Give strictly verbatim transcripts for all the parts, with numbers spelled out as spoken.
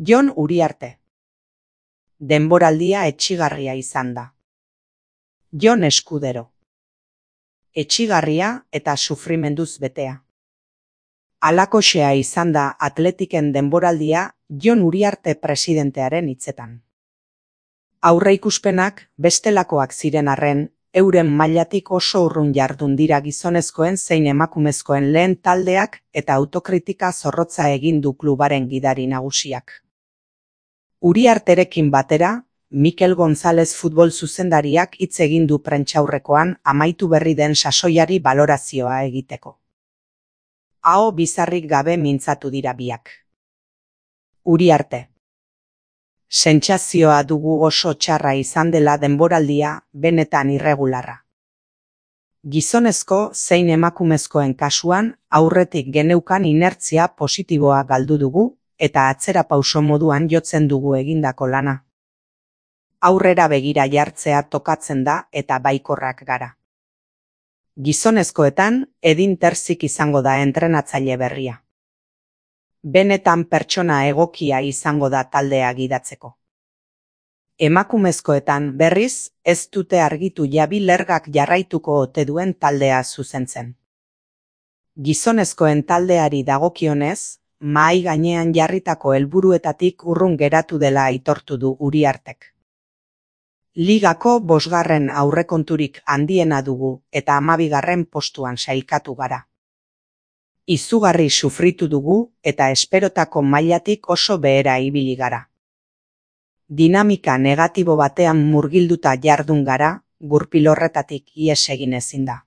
Jon Uriarte. Denboraldia etsigarria izan da. Jon Eskudero. Etsigarria eta sufrimenduz betea. Halakoxea izan da Atletiken denboraldia Jon Uriarte presidentearen hitzetan. Aurreikuspenak bestelakoak ziren arren, euren mailatik oso urrun jardun dira gizonezkoen zein emakumezkoen lehen taldeak eta autokritika zorrotza egin du klubaren gidari nagusiak. Uriarterekin batera, Mikel González futbol zuzendariak hitz egin du prentsaurrekoan amaitu berri den sasoiari balorazioa egiteko. Aho bizarrik gabe mintzatu dira biak. Uriarte. Sentsazioa dugu oso txarra izan dela denboraldia, benetan irregularra. Gizonezko zein emakumezkoen kasuan aurretik geneukan inertzia positiboa galdu dugu eta atzera pauso moduan jotzen dugu egindako lana. Aurrera begira jartzea tokatzen da eta baikorrak gara. Gizonezkoetan Edin Terzik izango da entrenatzaile berria. Benetan pertsona egokia izango da taldea gidatzeko. Emakumezkoetan berriz ez dute argitu Jabi Lergak jarraituko ote duen taldea zuzentzen. Gizonezkoen taldeari dagokionez, mahai gainean jarritako helburuetatik urrun geratu dela aitortu du Uriartek. Ligako bosgarren aurrekonturik handiena dugu eta hamabigarren postuan sailkatu gara. Izugarri sufritu dugu eta esperotako mailatik oso behera ibili gara. Dinamika negatibo batean murgilduta jardun gara, gurpil horretatik ihes egin ezin da.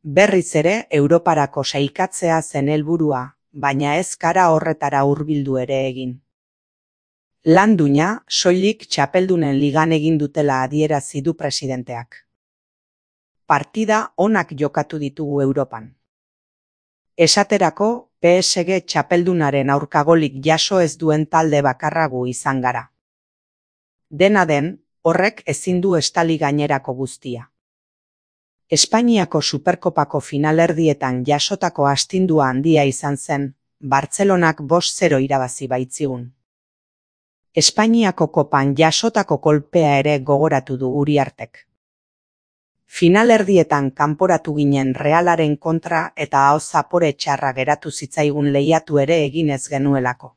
Berriz ere Europarako sailkatzea zen helburua, baina ez gara horretara hurbildu ere egin. Landuina soilik txapeldunen ligan egin dutela adierazi du presidenteak. Partida onak jokatu ditugu Europan. Esaterako, P S G txapeldunaren aurkagolik jaso ez duen talde bakarragu izan gara. Dena den, horrek ezin du estali gainerako guztia. Espainiako Superkopako finalerdietan jasotako astindua handia izan zen, Bartzelonak bost zero irabazi baitzigun. Espainiako kopan jasotako kolpea ere gogoratu du Uriartek. Finalerdietan kanporatu ginen Realaren kontra eta aho zapore txarra geratu zitzaigun lehiatu ere egin ez genuelako.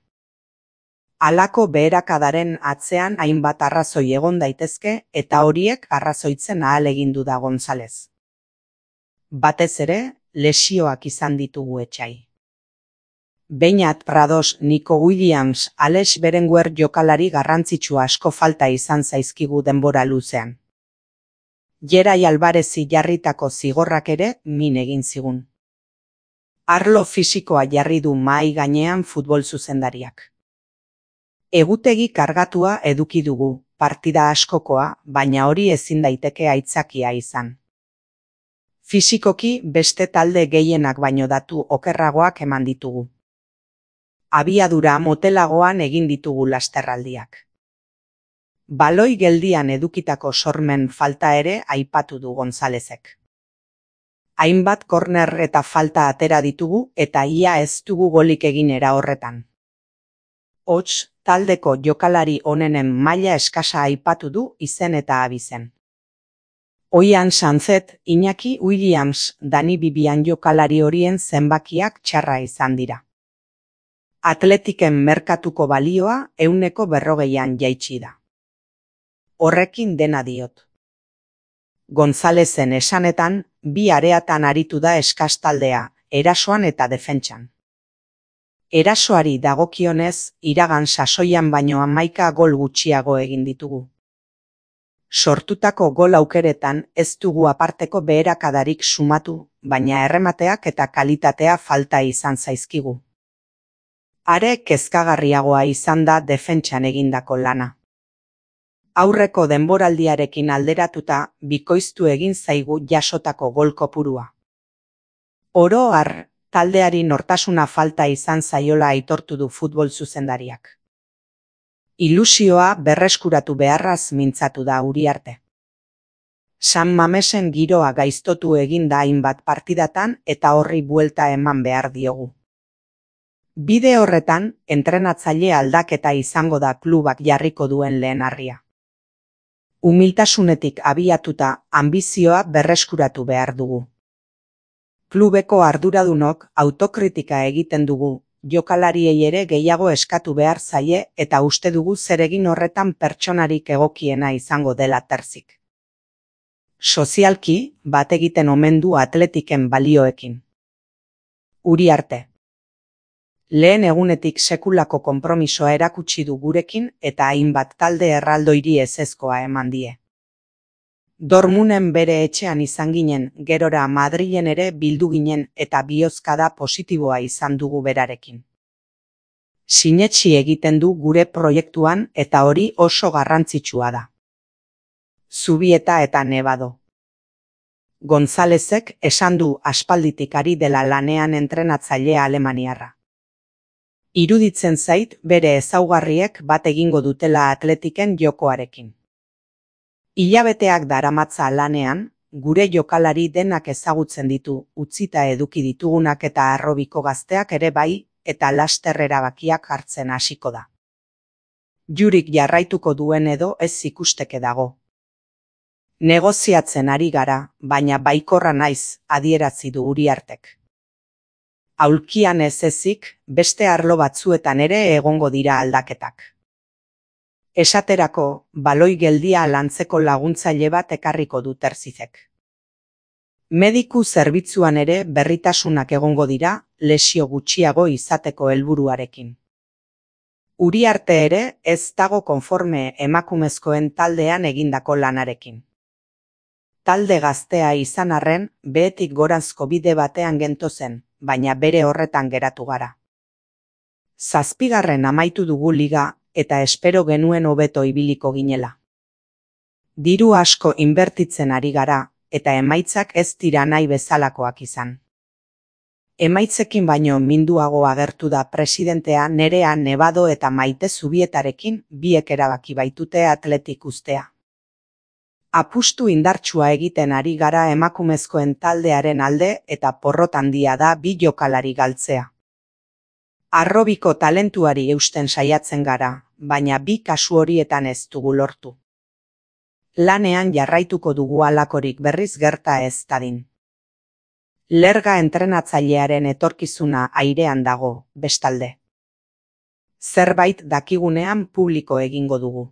Halako beherakadaren atzean hainbat arrazoi egon daitezke eta horiek arrazoitzen ahalegindu da González. Batez ere, lesioak izan ditugu etsai. Beñat Prados, Nico Williams, Alex Berenguer jokalari garrantzitsu asko falta izan zaizkigu denbora luzean. Gerai Alvarezi jarritako zigorrak ere min egin zigun. Arlo fisikoa jarri du mahai gainean futbol zuzendariak. Egutegi kargatua eduki dugu, partida askokoa, baina hori ezin daiteke aitzakia izan. Fisikoki beste talde gehienak baino datu okerragoak eman ditugu. Abiadura motelagoan egin ditugu lasterraldiak. Baloi geldian edukitako sormen falta ere aipatu du Gonzálezek. Hainbat korner eta falta atera ditugu eta ia ez dugu golik egin era horretan. Hots, taldeko jokalari onenen maila eskasa aipatu du izen eta abizen. Oian Sanzet, Iñaki Williams, Dani Bibian jokalari horien zenbakiak txarra izan dira. Atletiken merkatuko balioa ehuneko berrogeian jaitsi da. Horrekin dena diot. Gonzálezen esanetan, bi areatan aritu da eskas taldea, erasoan eta defentsan. Erasoari dagokionez, iragan sasoian baino hamaika gol gutxiago egin ditugu. Sortutako gol aukeretan ez dugu aparteko beherakadarik sumatu, baina erremateak eta kalitatea falta izan zaizkigu. Are kezkagarriagoa izan da defentsan egindako lana. Aurreko denboraldiarekin alderatuta bikoiztu egin zaigu jasotako gol kopurua. Oro har, taldeari nortasuna falta izan zaiola aitortu du futbol zuzendariak. Ilusioa berreskuratu beharraz mintzatu da Uriarte. San Mamesen giroa gaiztotu egin da hainbat partidatan eta horri buelta eman behar diogu. Bide horretan, entrenatzaile aldaketa izango da klubak jarriko duen lehen harria. Umiltasunetik abiatuta, anbizioa berreskuratu behar dugu. Klubeko arduradunok autokritika egiten dugu, jokalariei ere gehiago eskatu behar zaie eta uste dugu zeregin horretan pertsonarik egokiena izango dela Terzik. Sozialki, bat egiten omen du Atletiken balioekin. Uriarte. Lehen egunetik sekulako konpromisoa erakutsi du gurekin eta hainbat talde erraldoiri ezezkoa eman die. Dormunen bere etxean izan ginen, gerora Madrilen ere bildu ginen eta bihozkada positiboa izan dugu berarekin. Sinetsi egiten du gure proiektuan eta hori oso garrantzitsua da. Zubieta eta Nebado. Gonzalezek esan du aspalditik ari dela lanean entrenatzailea alemaniarra. Iruditzen zait bere ezaugarriek bat egingo dutela Atletiken jokoarekin. Hilabeteak daramatza lanean, gure jokalari denak ezagutzen ditu, utzita eduki ditugunak eta harrobiko gazteak ere bai, eta laster erabakiak hartzen hasiko da. Jurik jarraituko duen edo ez ikusteke dago. Negoziatzen ari gara, baina baikorra naiz, adierazi du Uriartek. Aulkian ez ezik, beste arlo batzuetan ere egongo dira aldaketak. Esaterako, baloi geldia lantzeko laguntzaile bat ekarriko du Terzizek. Mediku zerbitzuan ere berritasunak egongo dira, lesio gutxiago izateko helburuarekin. Uriarte ere ez dago konforme emakumezkoen taldean egindako lanarekin. Talde gaztea izan arren, behetik goranzko bide batean gentozen, baina bere horretan geratu gara. Zazpigarren amaitu dugu liga, eta espero genuen hobeto ibiliko ginela. Diru asko inbertitzen ari gara, eta emaitzak ez dira nahi bezalakoak izan. Emaitzekin baino minduago agertu da presidentea Nerea Nebado eta Maite Zubietarekin biek erabaki baitute Atletik uztea. Apustu indartsua egiten ari gara emakumezkoen taldearen alde eta porrot handia da bi jokalari galtzea. Harrobiko talentuari eusten saiatzen gara, baina bi kasu horietan ez dugu lortu. Lanean jarraituko dugu halakorik berriz gerta ez dadin. Lerga entrenatzailearen etorkizuna airean dago, bestalde. Zerbait dakigunean publiko egingo dugu.